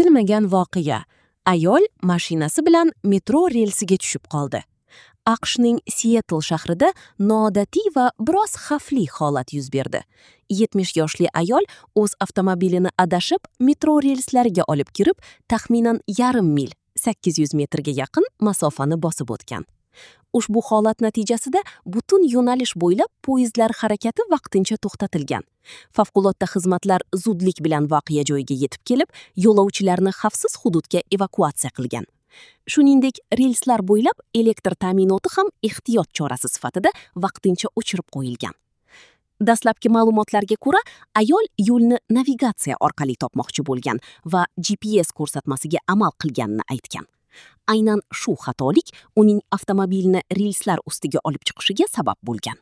Kutilmagan voqea. Ayol mashinasi bilan metro relsiga tushib qoldi. AQShning Sietl shahrida noodatiy va biroz xavfli holat yuz berdi. 70 yoshli ayol o'z avtomobilini adashib, metro relslariga olib kirib, taxminan yarim mil, 800 metrga yaqin masofani bosib o'tgan. Ushbu holat natijasida butun yo'nalish bo'ylab poyezdlar harakati vaqtincha to'xtatilgan. Favqulodda xizmatlar zudlik bilan voqea joyiga yetib kelib, yo'lovchilarni xavfsiz hududga evakuatsiya qilgan. Shuningdek, relslar bo'ylab elektr ta'minoti ham ehtiyot chorasi sifatida vaqtincha o'chirib qo'yilgan. Dastlabki ma'lumotlarga ko'ra, ayol yo'lni navigatsiya orqali topmoqchi bo'lgan va GPS ko'rsatmasiga amal qilganini aytgan. Aynan shu xatolik uning avtomobilni relslar ustiga olib chiqishiga sabab bo'lgan.